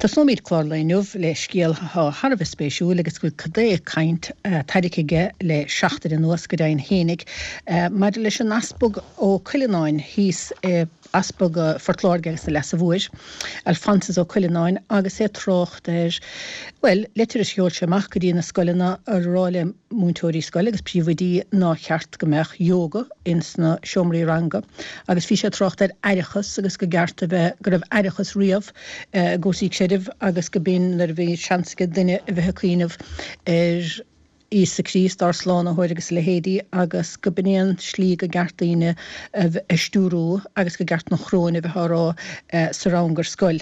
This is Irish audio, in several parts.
Tosnóimid clár an lae inniu le scéal atá thar a bheith spéisiúil agus go bhfuil cad é caint tarraingthe aige le seachtain anuas, go deimhin fhéinig, maidir leis an Easpag Ó Cuileanáin thíos i Easpag Phort Láirge agus na Leasa Mhóir, Alphonsus Ó Cuileanáin, agus é ag trácht ar, bhuel, leitir a sheol sé amach go dtí na scoileanna ag rá le múinteoirí scoile agus príomhoidí nár cheart go mbeadh yoga ins na seomraí ranga agus bhí sé ag trácht ar aireachas agus go gceart a bheith, go raibh aireachas riamh i gcúrsaí creidimh agus go b'in nuair a bhí seans ag duine a bheith ag cuimhneamh ar Íosa Críost, ár Slánaitheoir agus a leithéidí, agus go b'in é an slí go gceart daoine a stiúrú agus go gceart an Choróin a bheith á rá sa rang ar scoil.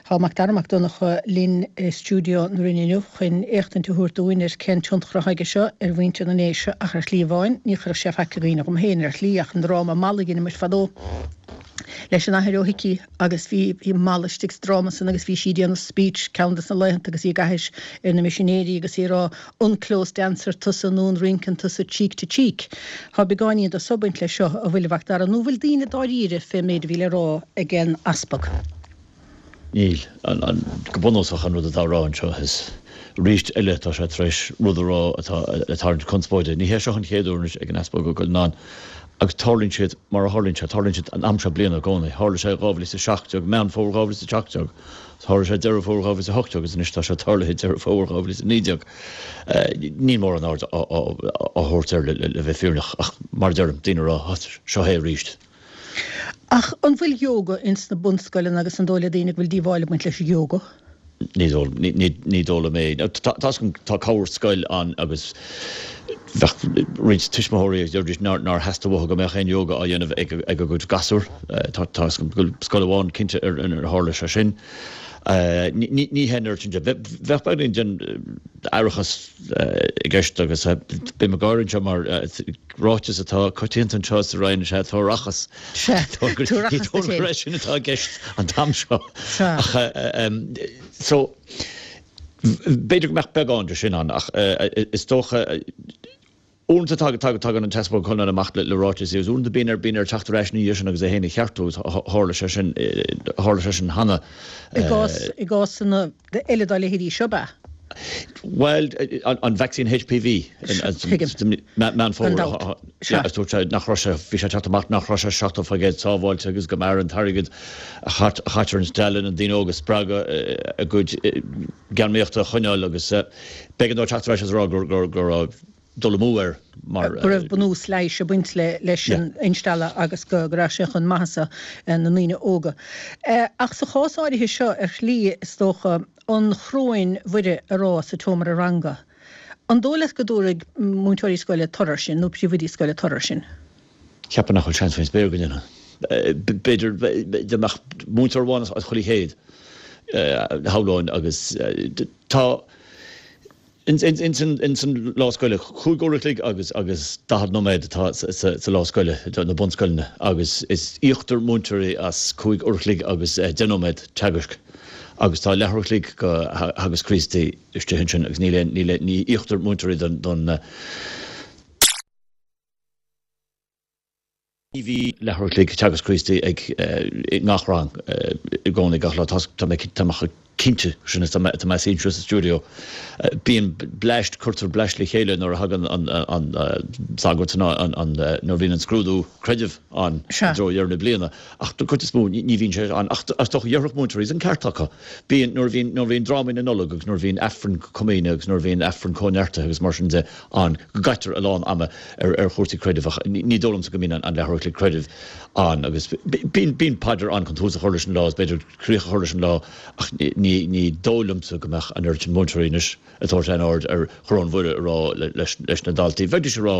Tá Mac Dara Mac Donncha linn i stiúideo na Rinne inniu chun éachtaint a thabhairt dúinn ar cén tionchar atá aige seo ar mhuintir na nDéise ach ar shlí amháin ní chuirfeadh sé faic i gcuimhne dhom féin ar shlí ach an dráma Mala a dheineadh muid fadó leis an Athair Ó hIcí agus bhí bhí Mala istigh sa dráma san agus bhí sí ag déanamh speech ceann des na laethanta agus í ag aithis ar na misinéirí agus í ag rá unclose dancer tusa nó an rinceann tusa cheek to cheek. Tá beagáinín de sobaint leis seo a bhfuil a Mhac Dara nó bhfuil daoine dáiríre fén méid a bhí le rá ag an Easpag. Níl. Go bunúsach an rud atá á rá anseo is arís eile tá sé tar éis rud a rá atá ag tarraingt conspóide. Ní hé seo an chéad uair anois ag an Easpag Ó Cuileanáin agus tarlaíonn siad mar a tharlaíonn sé, tarlaíonn siad an am seo bliana i gcónaí. Tharla sé 2017, Meán Fómhair 2017, tharla sé Deireadh Fómhair 2018 agus anois tá sé tarlaithe Deireadh Fómhair 2019. Níl mórán aird á thabhairt air le bheith fírinneach ach mar a deirim, daoine ag rá, seo é arís. Ach an bhfuil yoga ins na bunscoileanna agus an dóigh le daoine go bhfuil díobháil ag baint leis an yoga? Ní dóigh liom é. Tá tá cabhair scoil ann agus bheadh roinnt tuismitheoirí a deiridís nár theastaigh uathu go mbeadh aon yoga á dhéanamh ag a gcuid gasúr. Tá a fhios agam go bhfuil scoil amháin cinnte ar inar tharla sé sin. Ní hé an oiread sin de. Bheadh beagáinín den aireachas i gceist agus bím ag gáire anseo mar ráiteas atá coitianta anseo sa Rinn is ea tabhair Sea, tabhair Ní dóigh liom gur é sin atá i gceist an t-am seo. Sea. Ach so, b'fhéidir go mbeadh beagán de sin ann ach is dócha uaireanta tagann an tEaspag Ó Cuileanáin amach le ráiteas agus uaireanta bíonn air bíonn air teacht ar ais ina dhiaidh sin agus é féin a cheartú agus tharla sé sin tharla sé sin cheana. I gcás i gcásanna eile dá leithéidí seo, ab ea? Bhuel, an vacsaín HPV, Tuigim. Meán Gan Fómhair, dabht. Sea. agus dúirt sé nach raibh sé, bhí sé ag teacht amach nach raibh sé 70% sábháilte agus go mb'fhearr an t-airgead a chaitear ar instealladh na ndaoine óga a spreagadh a gcuid geanmnaíochta a choinneáil agus b'éigean dó teacht ar ais agus a rá go raibh dul amú air mar. go raibh bunús leighis ag baint leis an instealladh agus go raibh sé chun maitheasa na ndaoine óga. Ach sa chás áirithe seo, ar shlí, is dócha, an Choróin Mhuire a rá sa tseomra ranga, an dóigh leat go dtabharfaidh múinteoirí scoile toradh air sin, nó príomhoidí scoile toradh air sin? Cheapfainn nach bhfuil seans faoin spéir go ndéanfadh. B'fhéidir dá mbeadh múinteoir amháin as chuile chéad, shamhlóinn, agus tá. Ins an lá scoile, 5 uair a chloig agus agus 40 nóiméad atá sa lá scoile do na bunscoileanna agus is íoctar múinteoirí as 5 uair a chloig agus 10 nóiméad teagaisc agus tá leathuair a chloig go Theagasc Críostaí istigh ansin agus níl aon, níl aon, ní íoctar múinteoirí don. Ní bhíonn leathuair a chloig Teagasc Críostaí ag i ngach rang i gcónaí gach lá. Tá mé tá mé chomh cinnte sin is tá mé ag suí anseo sa stiúideo. Bíonn bleaist, cuirtear bleaist le chéile nuair a thagann an an sagart nó an an nuair a bhíonn an scrúdú creidimh ann i Sea. dtreo dheireadh na bliana. Ach don chuid is mó ní bhíonn sé ann. Ach is dócha déarfadh múinteoirí is an ceart acu. Bíonn nuair a bhíonn nuair a bhíonn drámaí na Nollag agus nuair a bhíonn Aifreann Comaoine agus nuair a bhíonn Aifreann Cóineartaithe agus mar sin de ann go gcaitear a lán ama ar chúrsaí creidimh ach ní dóigh liomsa go mbíonn an leathuair a chloig creidimh ann agus bíonn bíonn paidir ann chun tús a chur leis an lá is b'fhéidir críoch a chur leis an lá ach ní ní dóigh liomsa go mbeadh an oiread sin múinteoirí anois ag tabhairt aon aird ar Choróin Mhuire a rá leis leis na daltaí. Bheidís ag rá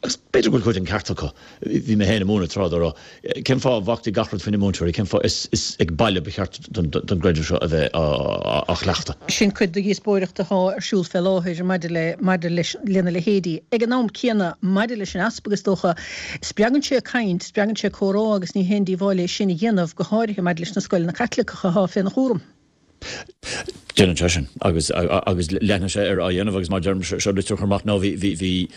Agus b'fhéidir go bhfuil cuid den ceart acu. Bhí mé féin ag múineadh tráth dá raibh. Cén fáth a bhfágtaí gach rud faoi na múinteoirí? Cén fáth? Is ag baile ba cheart don gcreideamh seo a bheith á chleachtadh. Sin cuid de dhíospóireacht atá ar siúl fé láthair maidir le, maidir leis, lena leithéidí. Ag an am céanna, maidir leis an Easpag, is dócha, spreagann sé caint, spreagann sé comhrá agus ní haon díobháil é sin a dhéanamh, go háirithe maidir leis na scoileanna Caitliceacha atá féna chúram. Déanann sé sin agus agus leanfaidh sé air á dhéanamh agus mar deirim seo litir a chur amach ná bhí bhí bhí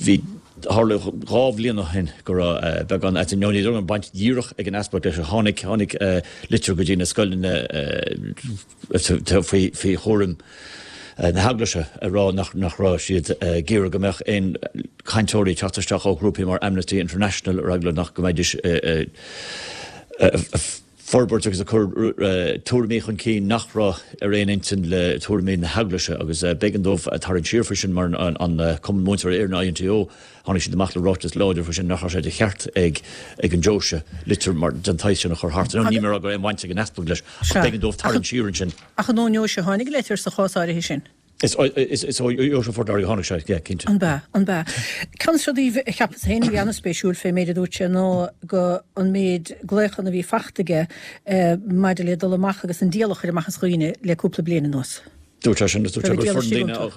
bhí. Tharla 2 bhliain ó shin go raibh beagán aite, nó ní raibh baint dhíreach ag an easpag leis, tháinig, tháinig litir go dtí na scoileanna faoi, faoi chúram na hEaglaise ag rá nach, nach raibh siad ag iarraidh go mbeadh aon chainteoirí ag teacht isteach ó ghrúpaí mar Amnesty International ar eagla nach go mbeidís ag forbairt agus ag cur tuairimí chun cinn nach raibh ar aon intinn le tuairimí na hEaglaise agus b'éigean dóibh tarraingt siar faoi sin mar an Cumann Múinteoirí Éireann, INTO, tháinig siad amach le ráiteas láidir faoi sin nach raibh sé de cheart ag ag an deoise litir mar den tsaghas sin a chur thart. Níl mé ag rá go raibh aon bhaint ag an easpag leis ach b'éigean dóibh tarraingt siar ansin. Ach an ón ndeoise a tháinig an litir sa chás áirithe sin? Is ó Dheoise Phort Láirge a tháinig sé, yeah, cinnte. An b'ea? An b'ea? Ceann de na rudaí a cheapas féin a bhí an-spéisiúil fé méid a dúirt sé ná go an méid glaochanna a bhí fachta aige maidir le dul amach agus an diabhal a chur amach as dhaoine le cúpla bliain anuas. Dúirt sé sin, dúirt sé gur foireann daoine a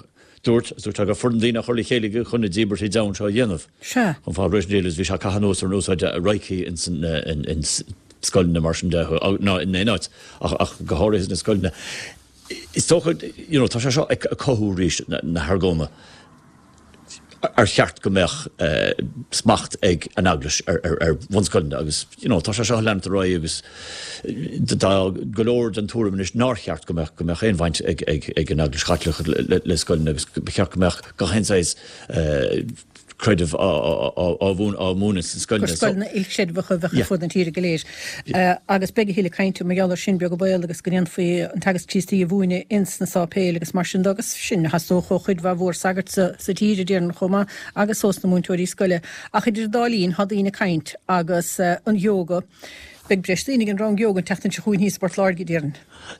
dúirt, dúirt sé gur foireann daoine á chur le chéile aige chun na díbeartha deamhan seo a dhéanamh. Sea. Chun fáil réidh leis, bhí sé ag caitheamh anuas ar an úsáid reiki ins an scoileanna mar sin de, ná in aon áit ach go háirithe sna scoileanna. Is dócha, you know, tá sé seo ag cothú arís na hargóna ar cheart go mbeadh smacht ag an Eaglais ar bhunscoileanna agus, you know, tá sé seo ag leanacht ar aghaidh agus tá go leor den tuairim anois nár cheart go mbeadh go mbeadh aon bhaint ag ag ag an Eaglais Chaitliceach le le scoileanna agus ba cheart go mbeadh gach aon saghas creideamh á mhúineadh sna scoileanna. Gur scoileanna ilchreidmheacha a bheadh ar fud na tíre go léir. Agus beidh a thuilleadh cainte mar gheall air sin beag an baol agus go ndéanfaí an teagasc Críostaí a mhúineadh ins na sáipéil agus mar sin de agus sin a theastódh ó chuid mhaith mhór sagart sa tír, a déarfainn, chomh maith agus ós na múinteoirí scoile. Ach idir an dá linn tá daoine ag caint agus an ióga. Beidh breis daoine ag an rang ióga an tseachtain seo chugainn thíos i bPort Láirge, a déarfainn.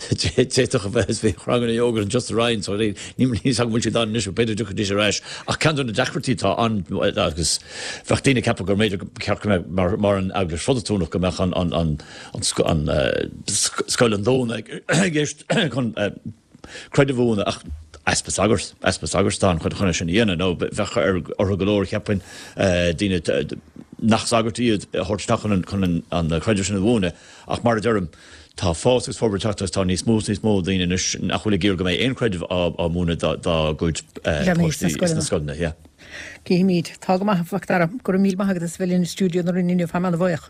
D'fhéadfadh a bheith, is bhí ranganna ióga anseo sa Rinn so níl a fhios agam an bhfuil siad ann anois, b'fhéidir go dtiocfaidís ar ais. Ach ceann de na deacrachtaí atá ann agus bheadh daoine ag ceapadh gur mb'fhéidir go cheart go mbeadh mar mar an Eaglais Phrotastúnach go mbeadh an an an an scoil an Domhnaigh i gceist chun creideamh a mhúineadh ach easpa sagart, easpa sagart atá ann chun é sin a dhéanamh nó bheadh ar orthu go leor cheapfainn daoine nach sagairt iad a thabhairt isteach chun an chun an creideamh sin a mhúineadh ach mar a deirim Tá fás agus forbairt ag teacht agus tá níos mó is níos mó daoine anois nach bhfuil ag iarraidh go mbeidh aon chreideamh á múineadh dá gcuid páistí sna scoileanna. Yeah. Cífimid. Tá go maith, a Mhac Dara. Go raibh míle maith agat as a bheith linn i stiúideo na Rinne inniu. Táim ana-bhuíoch.